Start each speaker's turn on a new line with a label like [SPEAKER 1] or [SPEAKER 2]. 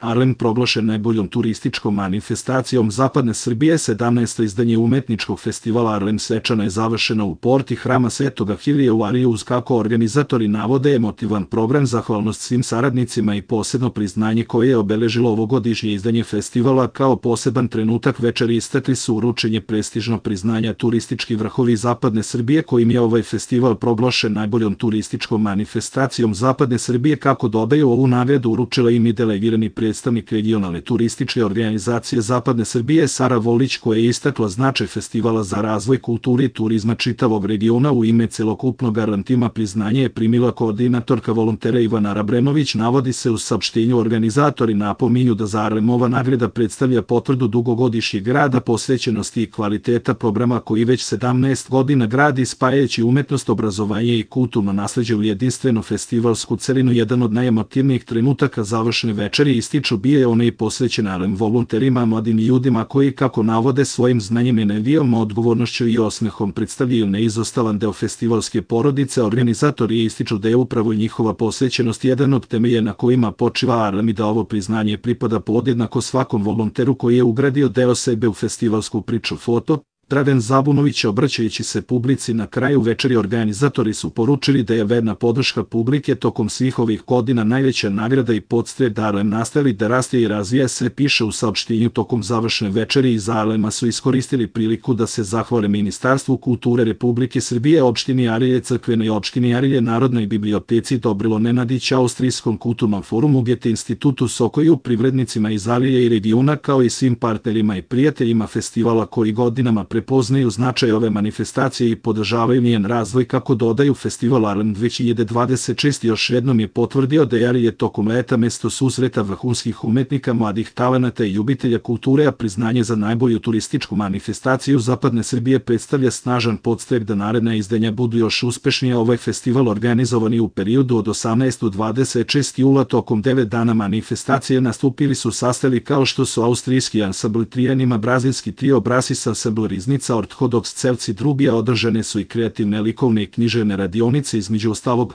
[SPEAKER 1] Arlem proglašen najboljom turističkom manifestacijom Zapadne Srbije. 17. izdanje umetničkog festivala Arlem svečano je završeno u porti Hrama Svetoga Hilije u Ariju uz, kako organizatori navode, emotivan program, zahvalnost svim saradnicima i posebno priznanje koje je obeležilo ovogodišnje izdanje festivala. Kao poseban trenutak večeri istakli su uručenje prestižnog priznanja Turistički vrhovi Zapadne Srbije, kojim je ovaj festival proglašen najboljom turističkom manifestacijom Zapadne Srbije. Kako dodaju, ovu nagradu uručila im i delegirani predstavnik regionalne turističke organizacije Zapadne Srbije Sara Volić, koja je istakla značaj festivala za razvoj kulture i turizma čitavog regiona. U ime celokupnog Arlem tima priznanje je primila koordinatorka volontera Ivana Rabrenović. Navodi se u saopštenju, organizatori napominju da za Arlem ova nagrada predstavlja potvrdu dugogodišnjeg rada, posvećenosti i kvaliteta programa koji već 17 godina gradi spajajući umetnost, obrazovanje i kulturno nasleđe u jedinstvenu festivalsku celinu. Jedan od najemotivnijih trenutaka završne večeri, ističu, bio je onaj posvećen Arlem volonterima, mladim ljudima koji, kako navode, svojim znanjem, energijom, odgovornošću i osmehom predstavljaju neizostavan deo festivalske porodice. Organizatori ističu da je upravo njihova posvećenost jedan od temelja na kojima počiva Arlem i da ovo priznanje pripada podjednako svakom volonteru koji je ugradio deo sebe u festivalsku priču. Foto Dragan Zabunović. Obraćajući se publici na kraju večeri, organizatori su poručili da je verna podrška publike tokom svih ovih godina najveća nagrada i podstrek da Arlem nastavi da raste i razvija se, piše u saopštenju. Tokom završne večeri iz Arlema su iskoristili priliku da se zahvale Ministarstvu kulture Republike Srbije, opštini Arilje, crkvenoj opštini Arilje, Narodnoj biblioteci Dobrilo Nenadić, Austrijskom kulturnom forumu Goethe institutu Sokoju, privrednicima iz Arilje i regiona, kao i svim partnerima i prijateljima festivala koji godinama prepoznaju značaj ove manifestacije i podržavaju njen razvoj. Kako dodaju, festival Arlem 2026 još jednom je potvrdio da je Arilje tokom leta mesto susreta vrhunskih umetnika, mladih talenata i ljubitelja kulture, a priznanje za najbolju turističku manifestaciju Zapadne Srbije predstavlja snažan podstrek da naredna izdanja budu još uspešnije. Ovaj festival organizovan je u periodu od 18. do 26. jula. Tokom 9 dana manifestacije nastupili su sastavi kao što su austrijski ansambl Trijanima, brazilski trio Brasis ansambl Ortodoks Celci Drubija. Održane su i kreativne, likovne i književne radionice, između ostalog